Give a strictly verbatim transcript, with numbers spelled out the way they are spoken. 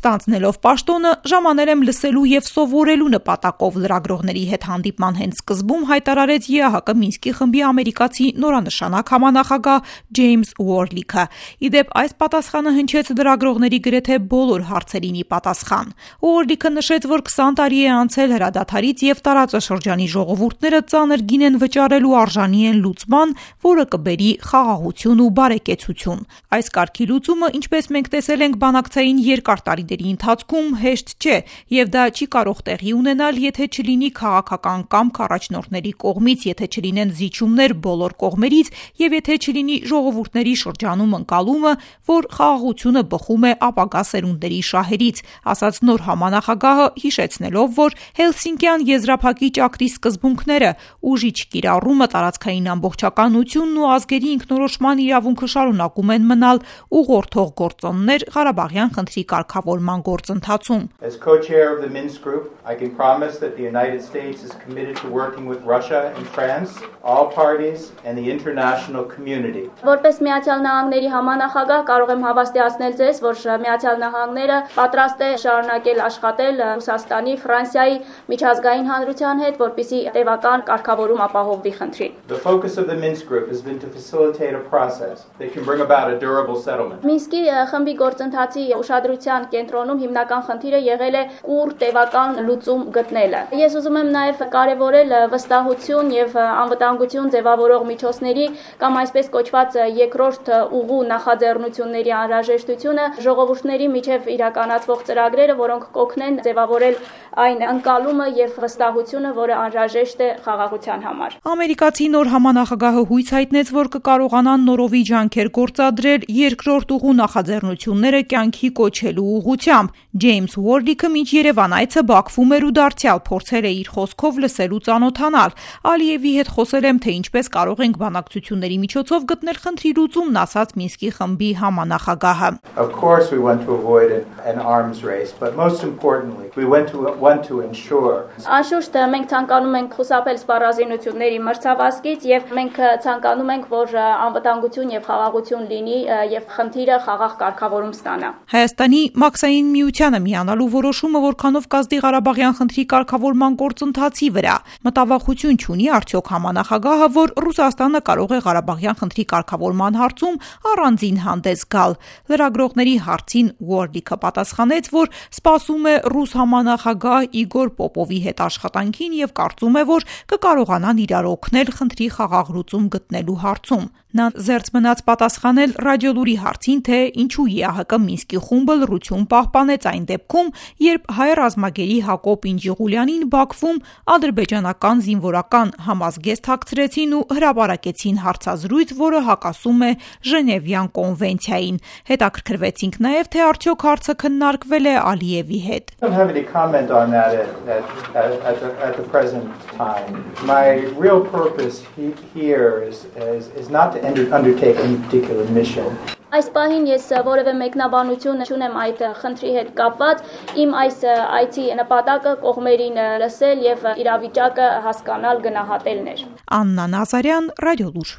Ստանձնելով պաշտոնը, ժամանել եմ լսելու եւ սովորելու նպատակով լրագրողների հետ հանդիպման հենց սկզբում հայտարարեց ԵԱՀԿ Մինսկի խմբի ամերիկացի նորանշանակ համանախագահ Ջեյմս Ուորլիքը։ Իդեպ այս պատասխանը հնչեց լրագրողների գրեթե բոլոր հարցերին ի պատասխան։ Ուորլիքը նշեց, որ քսան տարի է անցել հրադադարից եւ տարածաշրջանի ժողովուրդները ծանր գին են վճարելու արժանի են լուծման, որը կբերի խաղաղություն ու բարեկեցություն։ Այս կարգի լուծումը, ինչպես մենք տեսել ենք բանակցային երկար տարիների ընթացքում, հեշտ չէ եւ դա չի կարող տեղի ունենալ, եթե չլինի քաղաքական կամք առաջնորդների կողմից, եթե չլինեն զիջումներ բոլոր կողմերից եւ եթե չլինի ժողովուրդների շրջանում ընկալումը, որ խաղաղությունը բխում է ապագա սերունդների շահերից, ասաց նոր համանախագահը, հիշեցնելով, որ Հելսինկյան եզրափակի ճակտի սկզբունքները՝ ուժի չկիրառումը, տարածքային ամբողջականությունն ու ազգերի ինքնորոշման իրավունքը շարունակում են մնալ ուղղորդող գործոններ Ղարաբաղյան խնդրի կարգավորման գործընթացում։ As co-chair of the Minsk group, I can promise that the United States is committed to working with Russia and France, all parties and the international community. Որպես Միացյալ Նահանգների համանախագահ կարող եմ հավաստիացնել ձեզ, որ Միացյալ Նահանգները պատրաստ է շարունակել աշխատել Ռուսաստանի, Ֆրանսիայի միջազգային հանրության հետ, որպեսզի տևական կարգավորում ապահովվի խնդրին։ The focus of the Minsk group has been to facilitate a process that can bring about a durable settlement. Մինսկի խմբի գործընթացի ուշադրության կենտրոնում հիմնական խնդիրը եղել է ուր տևական լուծում գտնելը։ Ես ուզում եմ նաև կարևորել վստահություն եւ անվտանգություն ձևավորող միջոցների կամ այսպես կոչված երկրորդ ուղու նախաձեռնությունների անհրաժեշտությունը, ժողովուրդների միջև իրականացվող ծրագրերը, որոնք կօգնեն ձևավորել այն ընկալումը եւ վստահությունը, որը անհրաժեշտ է խաղաղության համար։ Ամերիկացի նոր համանախագահը հույս հայտնեց, որ կկարողանան նորովի ջանքեր գործադրել երկրորդ ուղու նախաձեռնությունները կյանքի կոչելու ուղղությամբ։ Ջեյմս Ուորլիքը մինչ Երևան այցը Բաքվում էր ու դարձյալ փորձել է իր խոսքով լսել ու ծանոթանալ։ Ալիևի հետ խոսել եմ, թե ինչպես կարող ենք բանակցությունների միջոցով գտնել խնդրի լուծումն, ասաց Մինսկի խմբի համանախագահը։ Of course we want to avoid an arms race, but most importantly, we want to want to ensure. Անշուշտ մենք ցանկանում ենք խուսափել սպառազինությունների մրցավազքից եւ մենք ցանկանում ենք, որ անվտանգություն եւ խաղաղություն լինի եւ խնդիրը խաղաղ կարգավորում ստանա։ Հայաստանի մաքսային միությանը միանալու որոշումը որքանով կազդի Ղարաբաղյան խնդրի կարգավորման գործընթացի վրա։ Մտավախություն չունի արդյոք համանախագահը, որ Ռուսաստանը կարող է Ղարաբաղյան խնդրի կարգավորման հարցում առանձին հանդես գալ։ Լրագրողների հարցին Ուորլիքը պատասխանեց, որ սպասում է ռուս համանախագահ Իգոր Պոպովի հետ աշխատանքին եւ կարծում է, որ կկարողանան իրար օգնել խնդրի խաղաղ լուծում գտնելու հարցում։ Նա զերծ մնաց պատասխանել Ռադիոլուրի հարցին, թե ինչու ԵԱՀԿ Մինսկի խումբը լռություն պահպանեց այն դեպքում, երբ հայ ռազմագերի Հակոբ Ինջիղուլյանին Բաքվում ադրբեջանական զինվորական համազգեստ հագցրեցին ու հրապարակեցին հարցազրույց, որը հակասում է Ժնևյան կոնվենցիային։ Հետաքրքրվեցինք նաև, թե արդյոք հարցը քննարկվել է Ալիևի հետ։ I don't have any comment on that at, at, at, the, at the present time. My real purpose he, here is, is, is not to undertake any particular mission. Այս պահին ես որևէ մեկնաբանություն չունեմ այդ խնդրի հետ կապված, իմ այս այցի նպատակը կողմերին լսել եւ իրավիճակը հասկանալ, գնահատելն էր։ Աննա Նազարյան, Ռադիոլուր։